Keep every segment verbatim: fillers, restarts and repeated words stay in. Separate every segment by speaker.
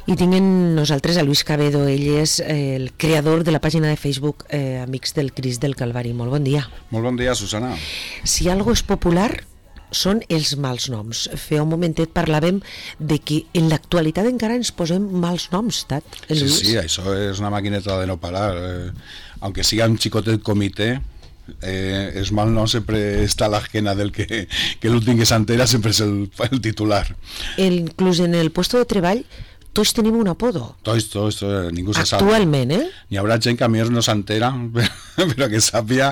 Speaker 1: I tinc en nosaltres a Luis Cabedo, ell és eh, el creador de la pàgina de Facebook eh, Amics del Crist del Calvari. Molt bon dia.
Speaker 2: Molt bon dia, Susana.
Speaker 1: Si algo és popular són els mals noms. Fa un momentet parlàvem de que en l'actualitat encara ens posem mals noms, Tat.
Speaker 2: Sí, sí, això és una maquineta de no parar. Eh, aunque siga un xicotet comitè, eh, el mal nom sempre està a l'esquena del que, que l'últim que s'entera sempre és el, el titular.
Speaker 1: El, inclús en el puesto de treball tots tenim un apodo.
Speaker 2: Tots, tots, tots, ningú se sap.
Speaker 1: Actualment, eh?
Speaker 2: N'hi haurà gent que a mi no s'entera, però que sàpia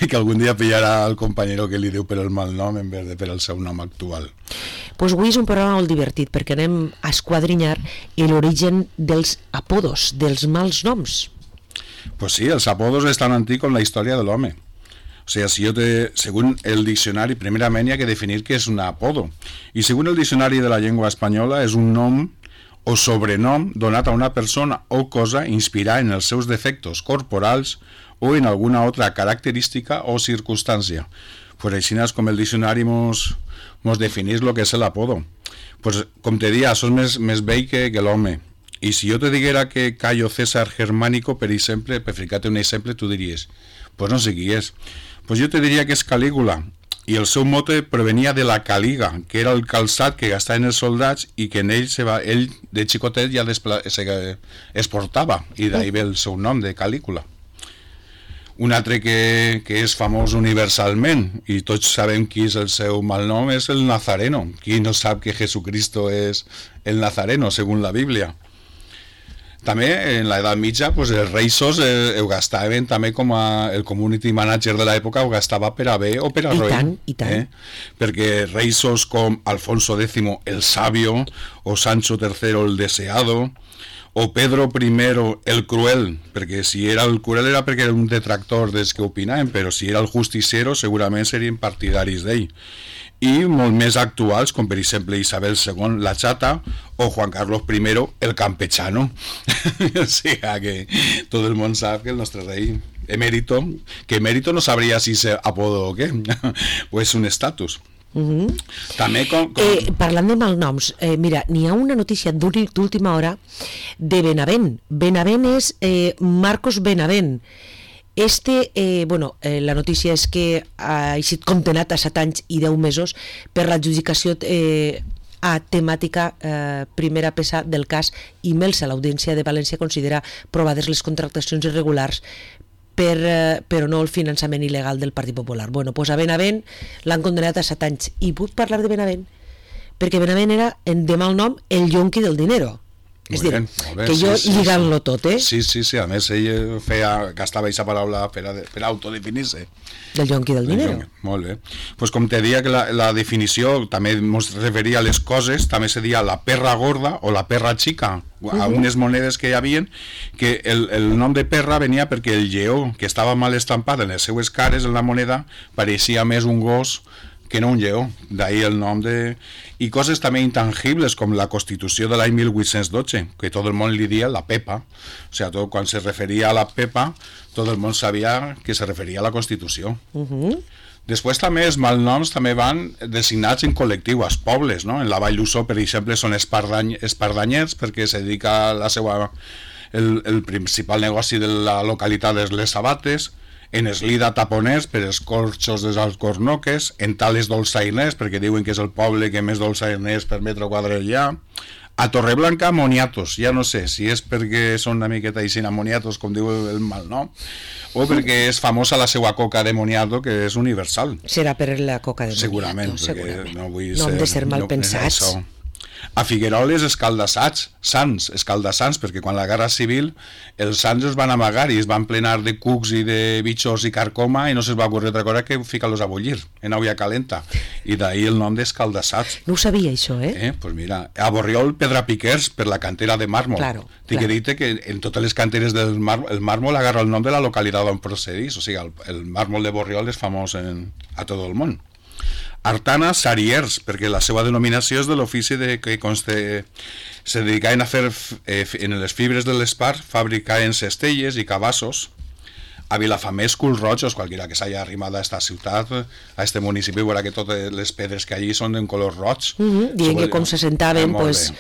Speaker 2: que algun dia pillarà el companyero que li diu per el mal nom en vez de per el seu nom actual.
Speaker 1: Pues avui és un programa molt divertit perquè anem a esquadrinyar l'origen dels apodos, dels mals noms.
Speaker 2: Pues sí, els apodos és tan antic com la història de l'home. O sea, si yo te, según el diccionari, primerament hi ha que definir què és un apodo. I según el diccionari de la llengua espanyola és un nom o sobrenom donat a una persona o cosa inspirat en els seus defectos corporals o en alguna altra característica o circumstància. Pues així és com el diccionari mos, mos definís lo que és l'apodo. Pues com te dia, sos més, més vell que, que l'home. I si jo te diguera que Cayo César Germánico, per exemple, per ficar-te un exemple, tu diries, pues no sé qui és. Pues jo te diria que és Calígula, i el seu mote provenia de la caliga, que era el calçat que gastaven els soldats i que en ell, se va, ell de xicotet ja despla, se, es portava, i d'ahir ve el seu nom de Calígula. Un altre que, que és famós universalment, i tots sabem qui és el seu malnom, és el Nazareno. Qui no sap que Jesucristo és el Nazareno, según la Bíblia? També en l'edat mitja pues, els reisos eh, ho gastaven també com a, el community manager de l'època ho gastava per a bé o per a roïn.
Speaker 1: I tant, i tant.
Speaker 2: Eh? Perquè reisos com Alfonso X el Sabio o Sancho tercero el Deseado o Pedro primero el Cruel, perquè si era el Cruel era perquè era un detractor dels que opinaven, però si era el Justiciero segurament serien partidaris d'ell. I molt més actuals, com per exemple Isabel segon, la Chata, o Juan Carlos primero, el Campechano. O sigui que tot el món sap que el nostre rei emèrito, que emèrito no sabria si és apodo o què, o és un estatus.
Speaker 1: Uh-huh.
Speaker 2: També com, com...
Speaker 1: Eh, parlant de malnoms, eh, mira, n'hi ha una notícia d'última hora de Benavent. Benavent és eh, Marcos Benavent. Este, eh, bueno, eh, la notícia és que ha estat condenat a set anys i deu mesos per l'adjudicació eh, a temàtica eh, primera peça del cas i Melsa. L'Audiència de València considera provades les contractacions irregulars per, eh, però no el finançament il·legal del Partit Popular. Bueno, doncs a Benavent l'han condenat a set anys. I puc parlar de Benavent? Perquè Benavent era, en de mal nom, el yonqui del dinero. És dir, que jo sí, lligant-lo sí, tot, eh?
Speaker 2: Sí, sí, sí, a més ell feia, gastava aquesta paraula per, a, per autodefinir-se.
Speaker 1: Del yonqui del dinero.
Speaker 2: Molt bé. Pues com te dia que la, la definició també ens referia a les coses, també se dia la perra gorda o la perra xica, a uh-huh. unes monedes que hi havia, que el, el nom de perra venia perquè el lleó, que estava mal estampat en les seues cares en la moneda, pareixia més un gos que no un lleó, d'ahir el nom de... I coses també intangibles, com la Constitució de l'any mil vuit-cents dotze, que tot el món li dia la Pepa. O sigui, tot, quan se referia a la Pepa, tot el món sabia que se referia a la Constitució. Uh-huh. Després també els malnoms també van designats en col·lectiu, als pobles, no? En la Vall d'Ussó, per exemple, són espardany, espardanyers, perquè se dedica a la seva... El, el principal negoci de la localitat és les sabates. En Eslida taponers per els corxos dels Alcornoques, en Tales dolçainers perquè diuen que és el poble que més dolçainers per metre quadrat hi ha, a Torreblanca moniatos, ja no sé si és perquè són una miqueta així moniatos com diu el mal, no? O perquè és famosa la seva coca de moniato que és universal.
Speaker 1: Serà per la coca de moniato,
Speaker 2: segurament,
Speaker 1: segurament.
Speaker 2: No, vull
Speaker 1: no
Speaker 2: ser,
Speaker 1: hem de ser mal
Speaker 2: no,
Speaker 1: pensats.
Speaker 2: Això. A Figueroles escaldassats, sants, escaldassants, perquè quan la Guerra Civil els sants es van amagar i es van plenar de cucs i de bitxos i carcoma i no se'ls va ocurrir altra cosa que ficar-los a bullir en aigua calenta, i d'ahir el nom d'escaldassats.
Speaker 1: No ho sabia això, eh?
Speaker 2: eh? Pues mira, a Borriol Pedrapiquers per la cantera de màrmol.
Speaker 1: Claro,
Speaker 2: Tinc
Speaker 1: claro.
Speaker 2: que dir que en totes les canteres del màrmol, el màrmol agarra el nom de la localitat on procedís, o sigui, el, el màrmol de Borriol és famós en, a tot el món. Artana Sariers, perquè la seva denominació és de l'ofici de que conste, se dedicaven a fer eh, en les fibres de l'espar, fabricaven cestelles i cabassos. A Vilafamés, Culrojos, qualquiera que s'hagi arrimat a esta ciutat, a este municipi, veurà que totes les pedres que allí són en color roig.
Speaker 1: Uh-huh, dient que com se sentaven, eh, pues...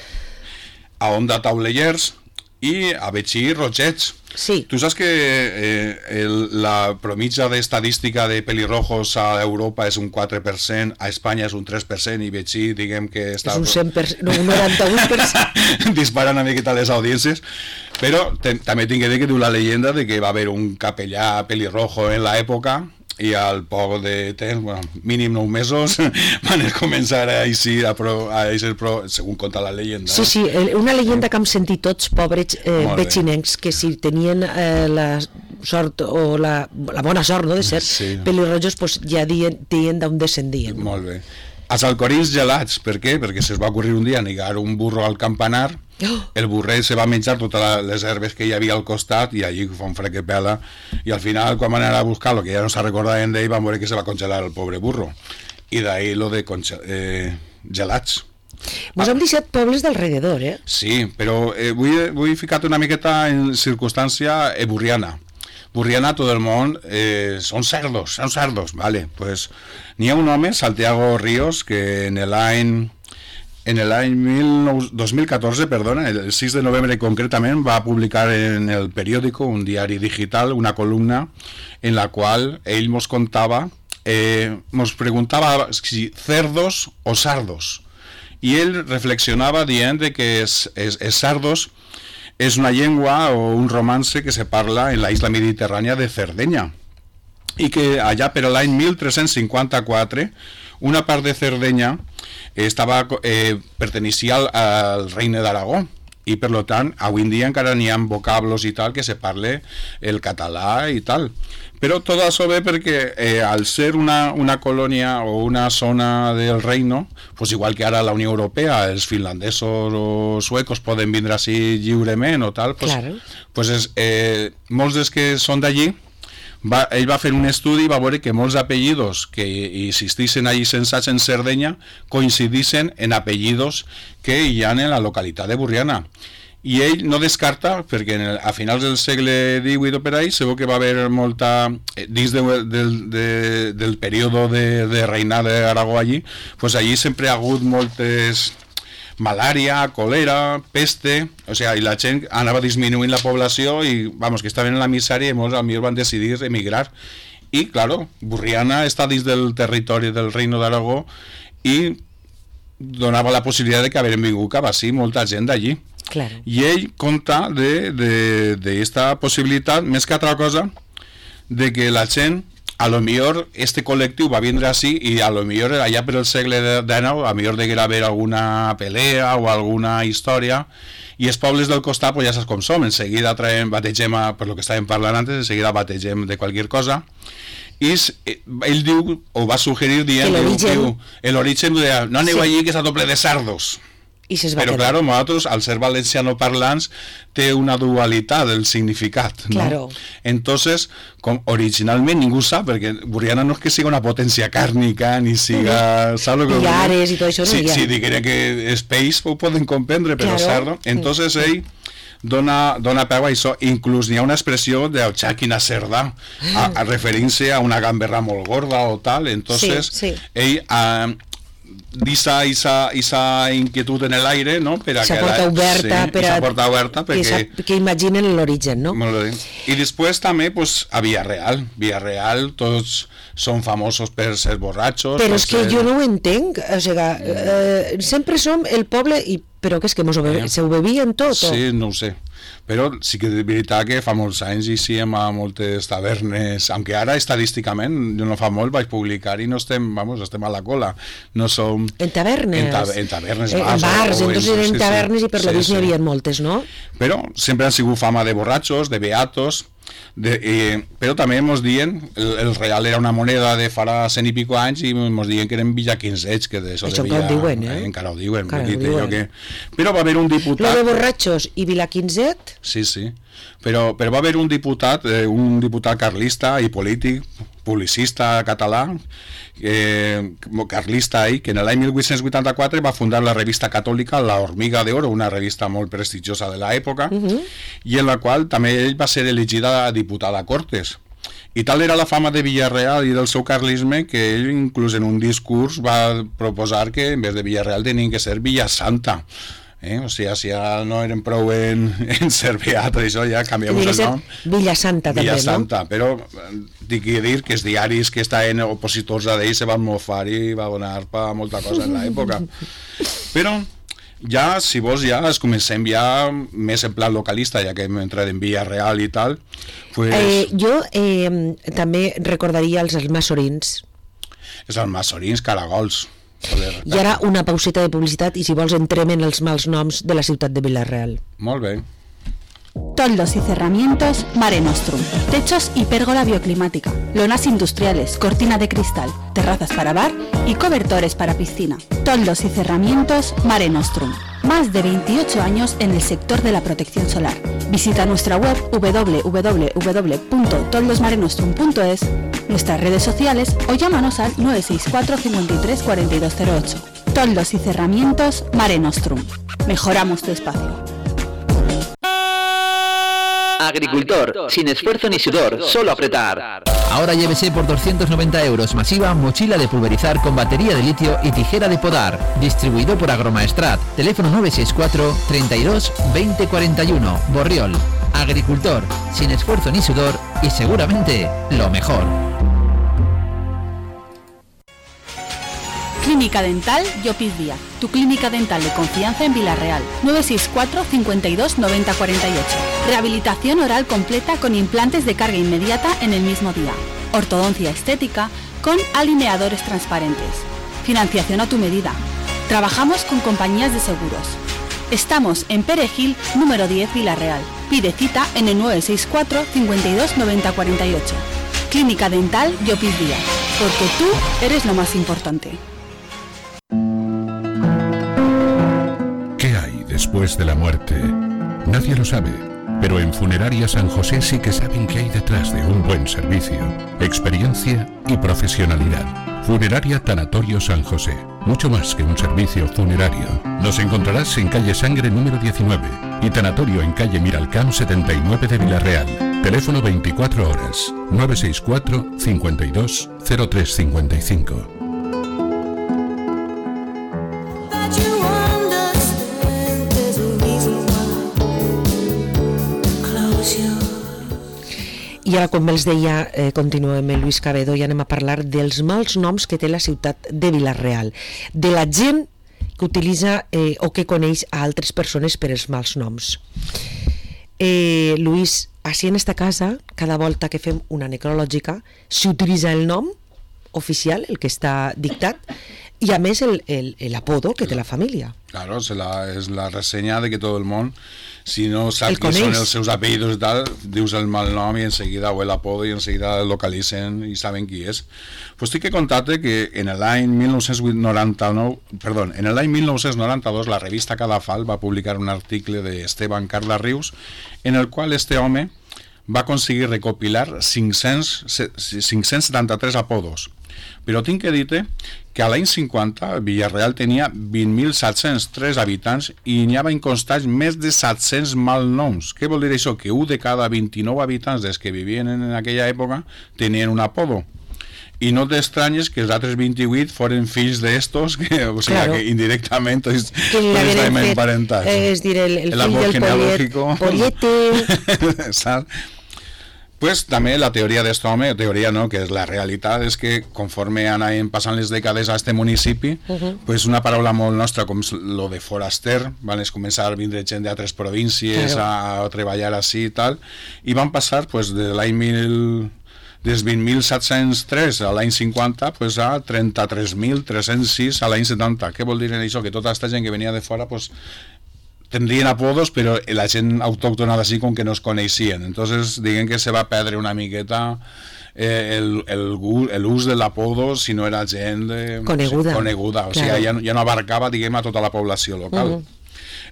Speaker 2: a Onda Taulellers i a Betxí Rotxets.
Speaker 1: Sí.
Speaker 2: Tu saps que eh, el, la promitja d'estadística de pelirrojos a Europa és un quatre per cent, a Espanya és un tres per cent i Betxí, diguem que està...
Speaker 1: És un cent per cent, no, un noranta-vuit per cent.
Speaker 2: Dispara una miqueta les audiències, però te, també tinc que dir que diu la leyenda de que va haver un capellà pelirrojo en l'època i al poc de temps, bueno, mínim nou mesos, van començar a eixir, a pro, a eixir pro, segons conta la leyenda.
Speaker 1: Sí, sí, una leyenda que hem sentit tots, pobres eh, betxinencs, que si tenien eh, la sort o la, la bona sort, no?, de ser sí. pelirrojos, pues ja dien, dien d'on descendien.
Speaker 2: Molt bé. Els alcorins gelats, per què? Perquè se'ls va ocorrir un dia negar un burro al campanar, oh. el burret se va menjar totes les herbes que hi havia al costat i allí fa un fred que pela, i al final quan van anar a buscar-lo, que ja no se recordaven d'ell, van veure que se va congelar el pobre burro, i d'ahí lo de eh, gelats.
Speaker 1: Mos hem deixat pobles d'alrededor, eh?
Speaker 2: Sí, però eh, vull, vull ficar-te una miqueta en circumstància eburriana. Burriana, tot el món, eh, són cerdos, són cerdos, vale, pues n'hi ha un home, Santiago Ríos, que en l'any en l'any dos mil catorze, perdona, el sis de novembre concretament, va publicar en el periòdico, un diari digital, una columna en la qual ell mos contava, eh, mos preguntava si cerdos o sardos, i ell reflexionava dient que els sardos és una llengua o un romance que se parla en la isla mediterrània de Cerdeña i que allà per l'any mil tres-cents cinquanta-quatre una part de Cerdeña estava, eh, perteneixia al, al regne d'Aragó i per tant avui en dia encara n'hi ha vocablos i tal que se parle el català i tal, però tot això ve perquè eh, al ser una, una colònia o una zona del reino, pues igual que ara la Unió Europea, els finlandesos o suecos poden vindre així lliurement o tal, pues, claro. pues és, eh, molts dels que són d'allí, va, ell va fer un estudi i va veure que molts apellidos que existissin allí censats en Cerdeña coincidissin en apellidos que hi ha en la localitat de Burriana. I ell no descarta, perquè en el, a finals del segle divuit o per ahí segur que va haver molta, dins de, de, de, del període de, de reinar d'Aragó allí, pues allí sempre ha hagut moltes malària, còlera, peste, o sea, i la gent anava disminuint la població i, vamos, que estaven en la misèria i molts amics van decidir emigrar. I, claro, Burriana està dins del territori del Reino d'Aragó i donava la possibilitat de que hagueren vingut cap així molta gent d'allí.
Speaker 1: Claro.
Speaker 2: I ell conta d'esta possibilitat, més que altra cosa, de que la gent, a lo millor, este col·lectiu va vindre així i a lo millor allà per el segle dinou, a lo millor deguera haver alguna pelea o alguna història, i els pobles del costat, pues ja saps com som, en seguida traiem, bategem, a, per lo que estàvem parlant antes, en seguida bategem de qualsevol cosa, i ell diu, o va suggerir dient, l'origen, no aneu allí que està doble de sardos. Però, claro, nosaltres, al ser valenciano parlants, té una dualitat del significat, ¿no?
Speaker 1: Claro.
Speaker 2: Entonces, com originalment ningú sap, perquè Burriana no és que siga una potència càrnica, ni siga...
Speaker 1: Uh-huh. Pillares i tot això, no?
Speaker 2: Sí, sí, diguem que és peix, ho poden comprendre, però claro. Sardo. Entonces, ell dona, dona peu a això. Inclús n'hi ha una expressió de xàquina cerda, a, a referint-se a una gamberra molt gorda o tal. Entonces, sí, sí. ell... A, d'isa esa, esa inquietud en l'aire, no? Per a
Speaker 1: esa porta oberta,
Speaker 2: sí,
Speaker 1: per a,
Speaker 2: porta oberta perquè...
Speaker 1: que, que imaginen l'origen, no?
Speaker 2: I després també pues, a Villarreal. Villarreal tots són famosos per ser borratxos.
Speaker 1: Però és que
Speaker 2: ser...
Speaker 1: jo no ho entenc. O sigui, eh, sempre som el poble, i, però que és que mos ho bebe, eh? Se ho bevien tot?
Speaker 2: Sí,
Speaker 1: o?
Speaker 2: no ho sé. Però sí que és veritat que fa molts anys hi sí, a moltes tavernes, aunque ara estadísticament, jo no fa molt vaig publicar i no estem, vamos, estem a la cola, no som...
Speaker 1: En tavernes?
Speaker 2: En, ta en tavernes,
Speaker 1: en bars, bars o, entonces eren sí, tavernes i per sí, lo vist sí. N'hi havia moltes, no?
Speaker 2: Però sempre han sigut fama de borratxos, de beatos, de, eh, però també mos diuen, el, el real era una moneda de farà cent i pico anys i mos diuen que eren villaquinzets, que d'això
Speaker 1: de Villa... Això ho diuen, eh?
Speaker 2: Encara ho diuen.
Speaker 1: Encara
Speaker 2: ho
Speaker 1: diuen.
Speaker 2: Que... Però va haver un diputat...
Speaker 1: Lo de borratxos i villaquinzet?
Speaker 2: Sí, sí. Però, però va haver un diputat, eh, un diputat carlista i polític, publicista català, eh, carlista ahí, que en l'any mil vuit-cents vuitanta-quatre va fundar la revista catòlica La Hormiga de Oro, una revista molt prestigiosa de l'època, uh-huh. i en la qual també ell va ser elegida diputada a Cortes. I tal era la fama de Villarreal i del seu carlisme que ell inclús en un discurs va proposar que en vez de Villarreal tenien que ser Villasanta. Eh? O sigui, si ja no eren prou en, en Cervià, tot això, ja canviem el nom.
Speaker 1: Villasanta també,
Speaker 2: Villasanta,
Speaker 1: no?
Speaker 2: però dic que dir que els diaris que estaven opositors a ell se van mofar i va donar per molta cosa en l'època. Però ja, si vols, ja es comencem ja més en plan localista, ja que hem entrat en Villarreal i tal. Pues...
Speaker 1: Eh, jo eh, també recordaria els almassorins.
Speaker 2: Els almassorins, caragols.
Speaker 1: I ara una pauseta de publicitat i si vols entrem en els mals noms de la ciutat de Vila-real.
Speaker 2: Molt bé.
Speaker 3: Toldos y cerramientos Mare Nostrum. Techos y pérgola bioclimática. Lonas industriales, cortina de cristal, terrazas para bar y cobertores para piscina. Toldos y cerramientos Mare Nostrum. Más de veintiocho años en el sector de la protección solar. Visita nuestra web doble u doble u doble u punto toldos mare nostrum punto es, nuestras redes sociales o llámanos al nueve seis cuatro, cincuenta y tres, cuarenta y dos cero ocho. Toldos y cerramientos Mare Nostrum. Mejoramos tu espacio.
Speaker 4: Agricultor, sin esfuerzo ni sudor, solo apretar.
Speaker 5: Ahora llévese por doscientos noventa euros masiva mochila de pulverizar con batería de litio y tijera de podar. Distribuido por Agromaestrat. Teléfono nueve seis cuatro, treinta y dos, veinte cuarenta y uno. Borriol. Agricultor, sin esfuerzo ni sudor y seguramente lo mejor.
Speaker 3: Clínica Dental Llopis Díaz, tu clínica dental de confianza en Vila-real. nueve seis cuatro, cincuenta y dos, noventa cuarenta y ocho. Rehabilitación oral completa con implantes de carga inmediata en el mismo día. Ortodoncia estética con alineadores transparentes. Financiación a tu medida. Trabajamos con compañías de seguros. Estamos en Perejil, número diez, Vila-real. Pide cita en el nueve seis cuatro, cincuenta y dos, noventa cuarenta y ocho. Clínica Dental Llopis Díaz, porque tú eres lo más importante.
Speaker 6: ¿Qué hay después de la muerte? Nadie lo sabe, pero en Funeraria San José sí que saben qué hay detrás de un buen servicio, experiencia y profesionalidad. Funeraria Tanatorio San José, mucho más que un servicio funerario. Nos encontrarás en calle Sangre número diecinueve y Tanatorio en calle Miralcamp setenta y nueve de Vila-real. Teléfono veinticuatro horas, nueve seis cuatro, cincuenta y dos, cero tres cincuenta y cinco.
Speaker 1: I ara, com els deia, eh, continuem amb Lluís Cabedo i anem a parlar dels mals noms que té la ciutat de Vila-real, de la gent que utilitza eh, o que coneix a altres persones per els mals noms. Eh, Lluís, així en esta casa, cada volta que fem una necrològica, s'utilitza el nom oficial, el que està dictat, i a més el, el, el apodo que té la família.
Speaker 2: Claro, es la, es la reseña de que todo el mundo, si no sabe qué son els seus apellidos y tal, dius el mal nom y enseguida, o el apodo, y enseguida el localicen y saben qui és. Pues tinc que contar-te que en l'any mil nou-cents noranta-nou, perdó, en l'any mil nou-cents noranta-dos la revista Cadafal va publicar un article de Esteban Carles en el qual este home va aconseguir recopilar cinc-cents setanta-tres apodos. Però tinc que dir-te que a l'any cinquanta Vila-real tenia vint mil set-cents tres habitants i n'hi havia constats més de set-cents malnoms. Què vol dir això? Que un de cada vint-i-nou habitants des que vivien en aquella època tenien un apodo. I no t'estranyes que els altres vint-i-vuit foren fills d'estos, que, o sigui, claro, que indirectament tots estem emparentats.
Speaker 1: És dir, el, el, el fill del Pollete.
Speaker 2: Saps? Pues també la teoria d'este home, teoria no, que és la realitat, és que conforme anaven passant les dècades a este municipi, uh-huh. pues una paraula molt nostra com lo de foraster, van començar a vindre gent d'altres províncies claro. a treballar així i tal, i van passar pues, de l'any mil... des vint mil set-cents tres a l'any cinquanta pues, a trenta-tres mil tres-cents sis a l'any setanta. Què vol dir això? Que tota aquesta gent que venia de fora pues, tendrien apodos, però la gent autòctona d'ací com que no es coneixien. Entonces, diguem que se va perdre una miqueta eh, el, el, el ús de l'apodo si no era gent de,
Speaker 1: coneguda.
Speaker 2: O sigui, coneguda. O
Speaker 1: claro.
Speaker 2: sigui, ja, ja no abarcava, diguem, a tota la població local. Uh-huh.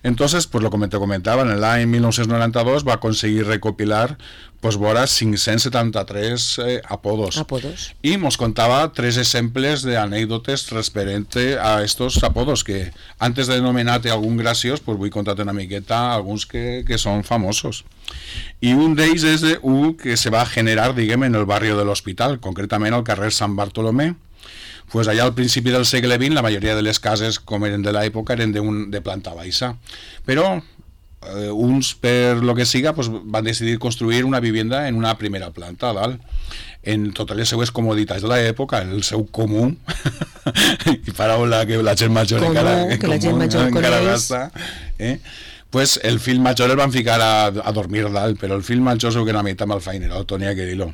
Speaker 2: Entonces, pues lo que te comentaba, en l'any mil nou-cents noranta-dos va aconseguir recopilar pues vora cinc-cents setanta-tres eh, apodos.
Speaker 1: apodos.
Speaker 2: Y nos contaba tres ejemplos de anécdotas referente a estos apodos, que antes de nomenarte algún graciós, pues voy a contarte una miqueta algunos que, que son famosos. Y un d'ells és de un que se va a generar, diguem, en el barrio del Hospital, concretament al carrer Sant Bartolomé, pues allà al principi del segle vint la majoria de les cases, com eren de l'època, eren de, un, de planta baixa, però eh, uns, per lo que siga, pues, van decidir construir una vivienda en una primera planta, a dalt, en totes les seues comoditats de l'època, en el seu comú, i paraula que la gent major
Speaker 1: comú,
Speaker 2: encara,
Speaker 1: que
Speaker 2: comú,
Speaker 1: la gent major
Speaker 2: encara
Speaker 1: coneix.
Speaker 2: gasta, eh? Pues el fill major el van ficar a, a dormir dalt, però el fill major segur que era mitad malfainerot, tenia que dir-lo.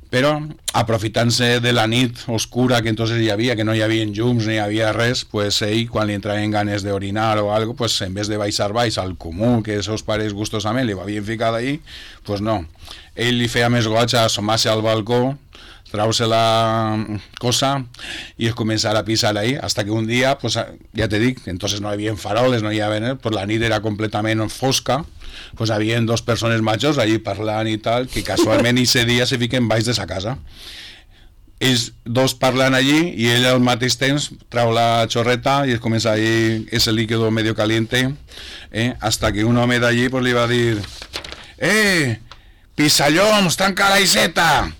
Speaker 2: Però, aprofitant-se de la nit oscura que entonces hi havia, que no hi havia llums ni hi havia res, pues ell, quan li entraven ganes d'orinar o algo, pues en vez de baixar baix al comú, que els seus pares gustosament li havien ficat ahí, pues no. Ell li feia més goig a assomar-se al balcó, trau-se la cosa i es començar a pisar ahí, hasta que un dia, pues, ja te dic, entonces no hi havia faroles, no hi havia, pues la nit era completament fosca, pues havien dos persones majors allí parlant i tal, que casualment ese dia se fiquen baix de sa casa. Ells dos parlant allí i ell al mateix temps trau la xorreta i es comença ahí ese líquido medio caliente, eh, hasta que un home d'allí pues li va dir: eh, pisallons, tanca la iseta!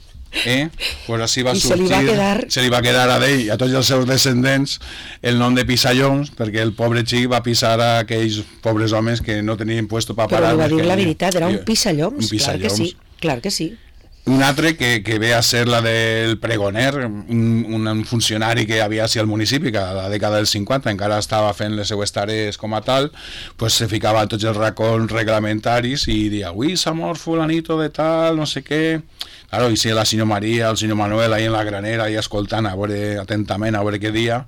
Speaker 2: Eh? Pues així va
Speaker 1: I
Speaker 2: sortir,
Speaker 1: se li va quedar...
Speaker 2: se li va quedar a ell i a tots els seus descendents el nom de Pisallons, perquè el pobre xic va pisar a aquells pobres homes que no tenien puesto per parar.
Speaker 1: Però li va dir la veritat, era un pisallons,
Speaker 2: un pisallons.
Speaker 1: clar que sí, clar que sí.
Speaker 2: Un altre que, que ve a ser la del pregoner, un, un funcionari que havia sigut al municipi, que a la dècada dels cinquanta encara estava fent les seues tarees com a tal, pues se ficava a tots els racons reglamentaris i dia: avui s'ha mort fulanito de tal, no sé què. Claro, i si la senyor Maria, el senyor Manuel ahí en la granera, ahí escoltant a veure atentament a veure què dia,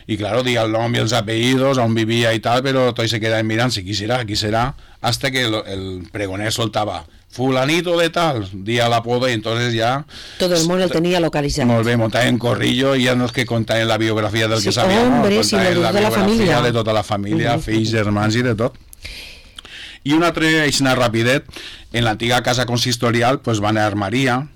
Speaker 2: i claro, dia el nom i els apellidos, on vivia i tal, però tots se quedaven mirant si qui serà, qui serà, hasta que el, el pregoner soltava: fulanito de tal, dia l'apodo, i entonces ja...
Speaker 1: Todo el món el tenia localitzat.
Speaker 2: Molt bé, montaven en corrillo, i ja no és que contaven la biografia del
Speaker 1: Sí,
Speaker 2: que sabia,
Speaker 1: hombre,
Speaker 2: no,
Speaker 1: sí,
Speaker 2: contaven
Speaker 1: de
Speaker 2: la
Speaker 1: tota la
Speaker 2: biografia
Speaker 1: família.
Speaker 2: de tota la família,
Speaker 1: Mm.
Speaker 2: fills, germans i de tot. I un altre, així rapidet, en l'antiga casa consistorial, pues van a Armaria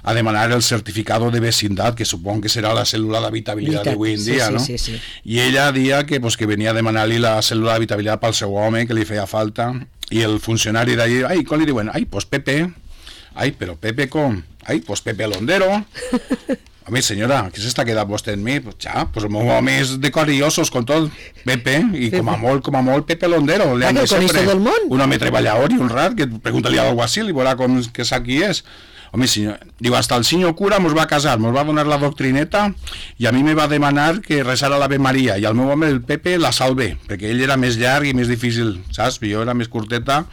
Speaker 2: a demanar el certificado de vecindad, que supongo que serà la cèl·lula d'habitabilitat d'avui en
Speaker 1: sí,
Speaker 2: dia,
Speaker 1: sí,
Speaker 2: no?
Speaker 1: sí, sí.
Speaker 2: I ella dia que, pues, que venia a demanar-li la cèl·lula d'habitabilitat pel seu home, que li feia falta, i el funcionari d'allí, ai, com li diuen? Ai, pues Pepe. Ai, però Pepe com? Ai, pues Pepe Londero. Home, senyora, què s'està quedant vostè en mi? Pues ja, pues el meu home és de cor i ossos con tot. Pepe, i com a molt, com a molt, Pepe Londero.
Speaker 1: Ah, que el coneix tot el món.
Speaker 2: Un home treballador i honrat, que pregunta-li al alguacil i veurà com que sap qui és. Home, senyor, diu, hasta el senyor cura mos va casar, mos va donar la doctrineta i a mi me va demanar que resara l'Ave Maria i al meu home, el Pepe, la salve, perquè ell era més llarg i més difícil, saps? Jo era més curteta,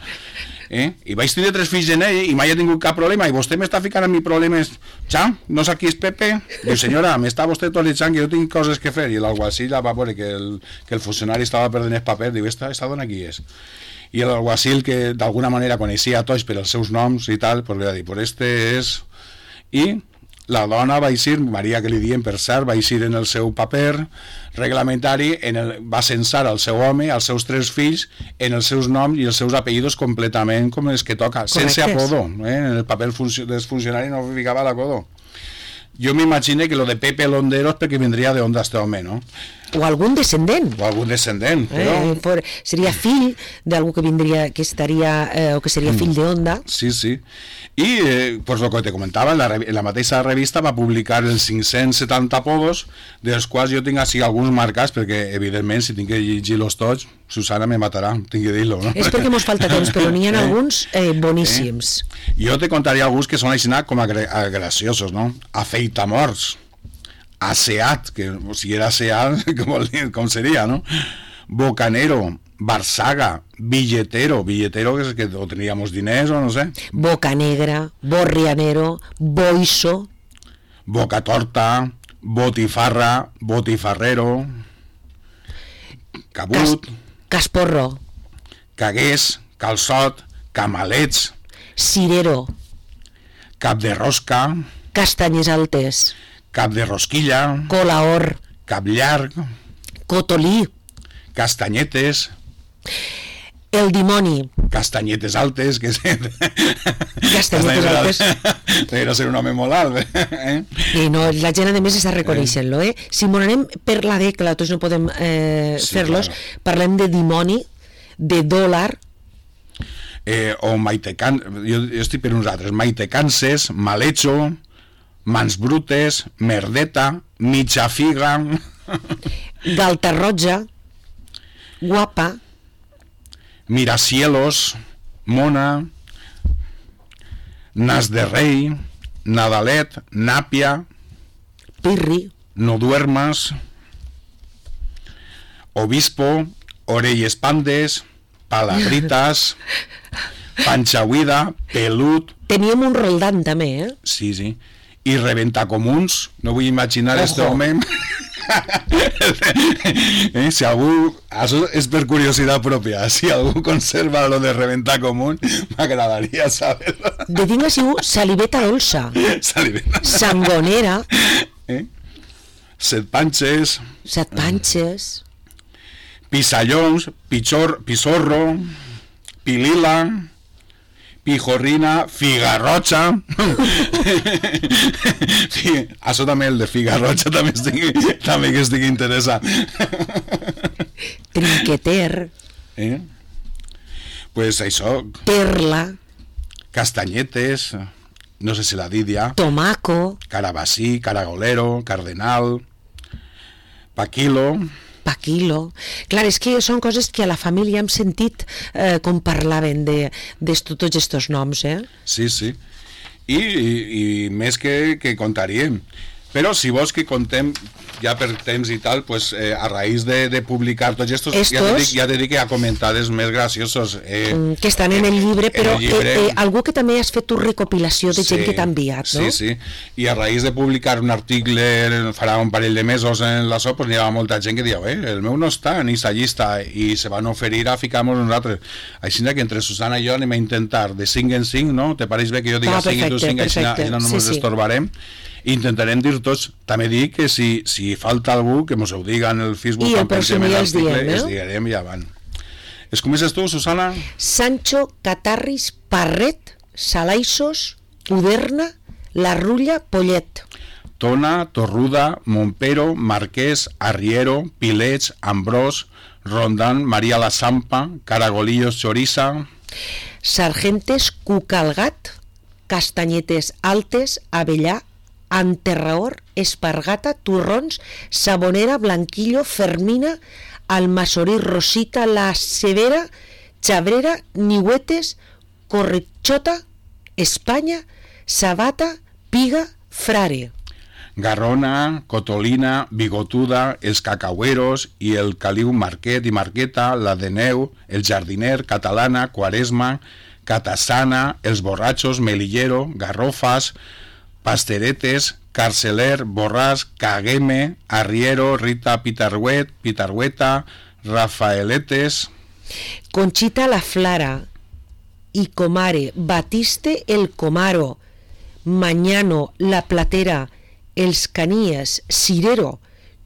Speaker 2: eh? I vaig tenir tres fills en ell i mai he tingut cap problema i vostè m'està ficant en mi problemes. Ja, no sap qui és Pepe? Diu, senyora, m'està vostè tolitzant que jo tinc coses que fer. I l'alguacil va veure que el, que el funcionari estava perdent el paper, diu, esta, esta dona qui és? I l'alguacil, que d'alguna manera coneixia a tots per els seus noms i tal, pues li va dir, pues este és... I la dona va eixir, Maria que li diem per cert, va eixir en el seu paper reglamentari, en el, va censar el seu home, els seus tres fills, en els seus noms i els seus apellidos completament com els que toca,
Speaker 1: correctes.
Speaker 2: Sense apodo, eh? En el paper funcio dels funcionaris no ficava l'apodo. Jo m'imagino que lo de Pepe Londero és perquè vindria de onda este home, no?
Speaker 1: O algun descendent.
Speaker 2: O algun descendent, però...
Speaker 1: Eh, for, seria fill d'algú que vindria, que estaria, eh, o que seria fill de Onda.
Speaker 2: Sí, sí. I, eh, pues lo que te comentava, en la, en la mateixa revista va publicar els cinc-cents setanta apodos, dels quals jo tinc així alguns marcats, perquè, evidentment, si tinc que llegir-los tots, Susana me matarà, tinc que dir-lo, no?
Speaker 1: És perquè mos falta temps, però n'hi ha alguns eh, boníssims.
Speaker 2: Eh? Jo te contaria alguns que són així com a, a graciosos, no? Afeitamorts, Aseat, que si era Aseat, com, com seria, no? Bocanero, Barsaga, billetero, billetero que, que o teníamos diners o no sé.
Speaker 1: Boca Negra, Borrianero, Boiso.
Speaker 2: Boca Torta, Botifarra, Botifarrero, Cabut,
Speaker 1: Cas, Casporro,
Speaker 2: Cagués, Calçot, Camalets,
Speaker 1: Cirero,
Speaker 2: Cap de Rosca,
Speaker 1: Castanyes Altes,
Speaker 2: Cap de Rosquilla,
Speaker 1: Colaor,
Speaker 2: Cap Llarg,
Speaker 1: Cotolí,
Speaker 2: Castanyetes,
Speaker 1: El Dimoni,
Speaker 2: Castanyetes Altes, que és...
Speaker 1: Castanyetes Altes.
Speaker 2: Debería ser un home molt alt, eh?
Speaker 1: I no, la gent a més està reconeixent-lo, eh? Si m'ho anem per la dècada, tots no podem eh,
Speaker 2: Sí,
Speaker 1: fer-los,
Speaker 2: claro.
Speaker 1: parlem de dimoni, de dòlar,
Speaker 2: Eh, o Maitecan... Jo, jo estic per uns altres. Maitecances, Malecho, Mans Brutes, Merdeta, mitja figa,
Speaker 1: galta roja, guapa,
Speaker 2: miracielos, mona, nas de rei, nadalet, nàpia,
Speaker 1: pirri,
Speaker 2: no duermas, obispo, orelles pandes, palagritas, panxa buida, pelut...
Speaker 1: Teníem un Roldán també, eh?
Speaker 2: Sí, sí. I reventacomuns, no vull imaginar
Speaker 1: Ojo.
Speaker 2: este home... eh, si algú... Això és per curiositat pròpia. Si algú conserva lo de reventar común, m'agradaria saber-lo.
Speaker 1: De tinc siu saliveta dolça,
Speaker 2: Saliveta.
Speaker 1: sangonera,
Speaker 2: Eh? Set panxes,
Speaker 1: set panxes,
Speaker 2: pisallons, pichor, pisorro, pilila, pijorrina, figarrocha. Sí, això també, el de figarrocha també, estic, també que estic interessat.
Speaker 1: trinqueter,
Speaker 2: Eh? Pues això,
Speaker 1: perla,
Speaker 2: castanyetes, no sé si la dit ja,
Speaker 1: tomaco,
Speaker 2: carabasí, caragolero, cardenal, paquilo...
Speaker 1: paquilo. Clar, és que són coses que a la família hem sentit eh, com parlaven de, de tots estos noms, eh?
Speaker 2: Sí, sí. I, i, i més que, que contaríem. Però si vols que contem ja per temps i tal, pues, eh, a raïs de, de publicar tots estos,
Speaker 1: estos
Speaker 2: ja te dic, ja te dic que hi ha comentarios més graciosos. Eh,
Speaker 1: que estan en el llibre, però
Speaker 2: el llibre,
Speaker 1: eh, eh, algú que també has fet tu recopilació de
Speaker 2: sí,
Speaker 1: gent que t'ha enviat, no?
Speaker 2: Sí, sí. I a raïs de publicar un article farà un parell de mesos en la S O, pues, hi ha molta gent que diu, eh, el meu no està en aquesta llista, i se van oferir a ficar-nos nosaltres. Així que entre Susana i jo anem a intentar de cinc en cinc, no? Te pareix bé que jo diga
Speaker 1: Ah,
Speaker 2: cinc i tu cinc, així no, no
Speaker 1: sí,
Speaker 2: ens
Speaker 1: sí.
Speaker 2: estorbarem. Intentarem dir tots. També dic que si, si falta algú que mos ho diga en el Facebook,
Speaker 1: I el
Speaker 2: quan pensem
Speaker 1: pròxim
Speaker 2: en
Speaker 1: dia els
Speaker 2: l'article,
Speaker 1: diem, eh?
Speaker 2: es direm i avant. Es comences tu, Susana?
Speaker 1: Sancho, Catarris, Parret, Salaixos, Puderna, La Rulla, Pollet.
Speaker 2: Tona, Torruda, Montpero, Marquès, Arriero, Pilets, Ambrós, Rondán, María la Sampa, Caragolillos, Choriza,
Speaker 1: Sargentes, Cucalgat, Castanyetes Altes, Avellà, Anterraor, Espargata, Turrons, Sabonera, Blanquillo, Fermina, Almasorí, Rosita, La Severa, Chabrera, Nihuetes, Correchota, España, Sabata, Piga, Frare.
Speaker 2: Garrona, Cotolina, Bigotuda, Els Cacaueros i el Caliu Marquet i Marqueta, la de Neu, el Jardiner, Catalana, Quaresma, Catasana, Els Borrachos, Melillero, Garrofas, Pasteretes, Carceler, Borràs, Cagueme, Arriero, Rita Pitarhuet, Pitarhueta, Rafaeletes,
Speaker 1: Conchita la Flara, Icomare, Batiste el Comaro, Mañano la Platera, Els Canies, Cirero,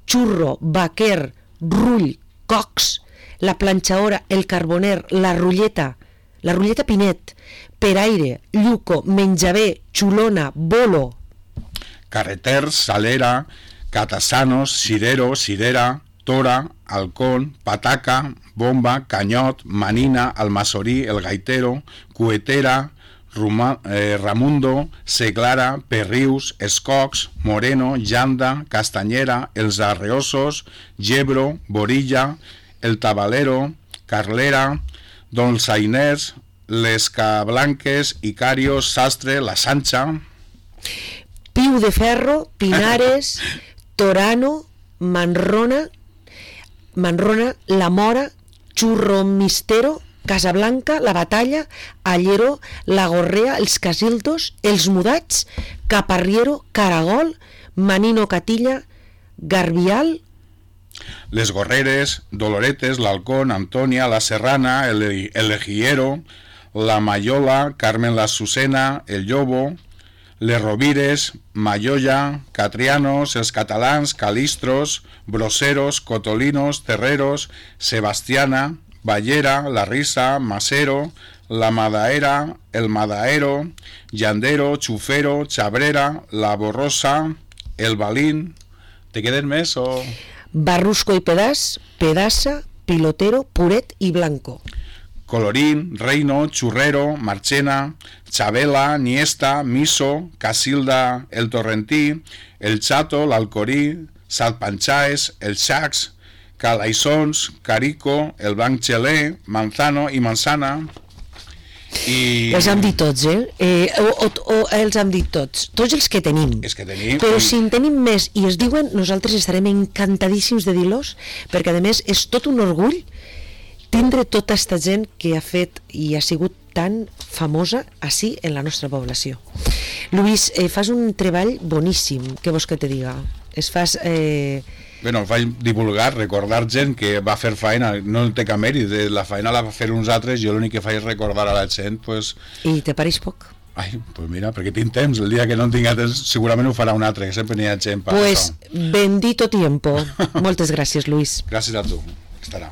Speaker 1: Churro, Baquer, Rull, Cox, la Planxaora, el Carboner, la Rulleta, la Rulleta Pinet, Peraire, Lluco, Menjabé, Xulona, Bolo,
Speaker 2: Carreters, Salera, Catasanos, Cirero, Cirera, Tora, Halcón, Pataca, Bomba, Canyot, Manina, Almasorí, El Gaitero, Cuetera, Ruma, eh, Ramundo, Seglara, Perrius, Escocs, Moreno, Llanda, Castanyera, Els Arreosos, Gebro, Borilla, El Tabalero, Carlera, Dolçainers, Les Cablanques, Icarios, Sastre, La Sancha,
Speaker 1: Piu de Ferro, Pinares, Torano, Manrona, Manrona, La Mora, Churromistero, Casablanca, La Batalla, Allero, La Gorrea, Els Casildos, Els Mudats, Caparriero, Caragol, Manino Catilla, Garbial,
Speaker 2: Les Gorreres, Doloretes, L'Halcón, Antonia, La Serrana, El, el Ejiero, La Mayola, Carmen la Susena, El Llobo, Les Rovires, Mayolla, Catrianos, Els Catalans, Calistros, Broseros, Cotolinos, Terreros, Sebastiana, Ballera, La Risa, Masero, La Madaera, El Madaero, Llandero, Chufero, Chabrera, La Borrosa, El Balín. ¿Te queden més o...?
Speaker 1: Barrusco y Pedaz, Pedaza, Pilotero, Puret y Blanco.
Speaker 2: Colorín, Reino, Churrero, Marchena, Chabela, Niesta, Miso, Casilda, El Torrentí, El Chato, l'Alcorí, Salpanchaes, El Chacs, Calaisons, Carico, El Blanc Xelé, Manzano i Manzana. I...
Speaker 1: Els hem dit tots, eh? eh o, o, o els hem dit tots, tots els que tenim.
Speaker 2: És que tenim...
Speaker 1: Però si en tenim més i es diuen, nosaltres estarem encantadíssims de dir-los, perquè a més és tot un orgull tindre tota aquesta gent que ha fet i ha sigut tan famosa així en la nostra població. Lluís, eh, fas un treball boníssim, què vols que te diga? Es fas... Eh...
Speaker 2: Bueno, faig divulgar, recordar gent que va fer feina, no té cap mèrit, la feina la va fer uns altres, jo l'únic que faig és recordar a la gent, pues...
Speaker 1: I te pareix poc?
Speaker 2: Ai, pues mira, perquè tinc temps, el dia que no en tinc temps segurament ho farà un altre, que sempre n'hi ha gent per
Speaker 1: pues,
Speaker 2: això.
Speaker 1: Bendito tiempo. Moltes gràcies, Lluís.
Speaker 2: Gràcies a tu, estarà.